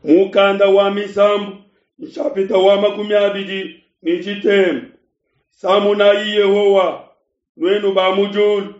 Mukanda wa Misambu, nshapita wa 23. Samunayi Yehowa, nuenu ba mu diulu.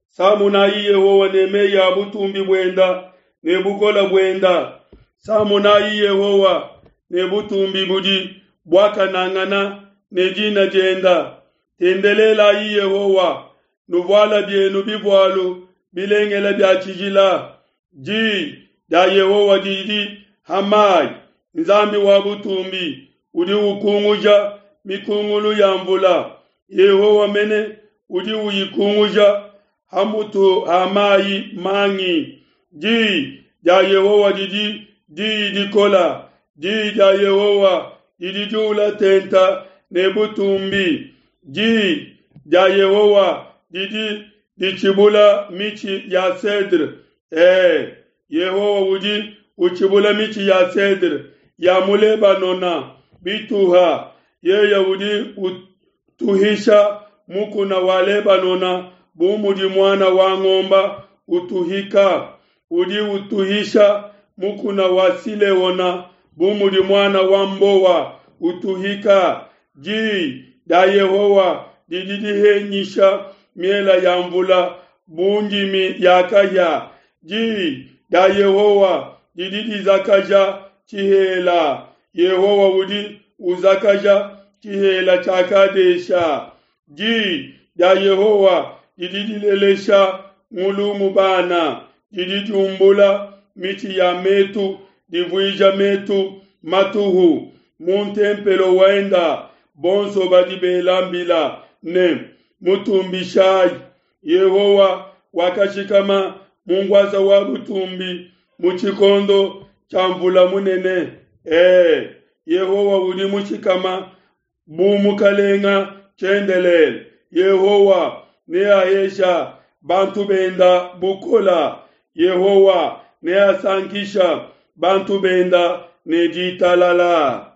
Samunayi Yehowa ne meyi a butumbi buenda ne bukola buenda. Samunayi Yehowa ne butumbi budi buakanangana ne dina dienda. Tendelelayi Yehowa, nuvuala bienu bivualu bilengele bia tshijila. Diyi dia Yehowa didi ha mayi, Nzambi wa butumbi udi ukunguja mikungulu ya mvula. Yehowa mene udi uyikunguja ha mutu ha mayi mangi. Diyi dia Yehowa didi diyi dikola, diyi dia Yehowa didi diula tenta ne butumbi. Diyi dia Yehowa didi ditshibula mitshi ya cedre. Ee, Yehowa udi utshibula mitshi ya cedre ya mu Lebanona bituha. Yeye udi utuhisha mukuna wa Lebanona bu mudi muana wa ngomba utuhika. Udi utuhisha mukuna wa Sileona bu mudi muana wa mbowa utuhika. Diyi dia Yehowa didi dihenyisha miela ya mvula bu ndimi ya kahia. Diyi dia Yehowa didi dizakaja tshihela. Yehowa udi uzakaja tshihela tshia Kadesha. Diyi dia Yehowa didi dilelesha ngulungu bana, didi diumbula mitshi ya metu, divuija metu matuhu. Mu ntempelo wenda bonso badi bela mbila ne, Mutumbishayi! Yehowa wakashikama mu nkuasa wa butumbi mu tshikondo tshia mvula munene. Ee, Yehowa udi mushikama bu mukalenga tshiendelele. Yehowa neahesha bantu benda bukola. Yehowa neasankisha bantu benda ne ditalala.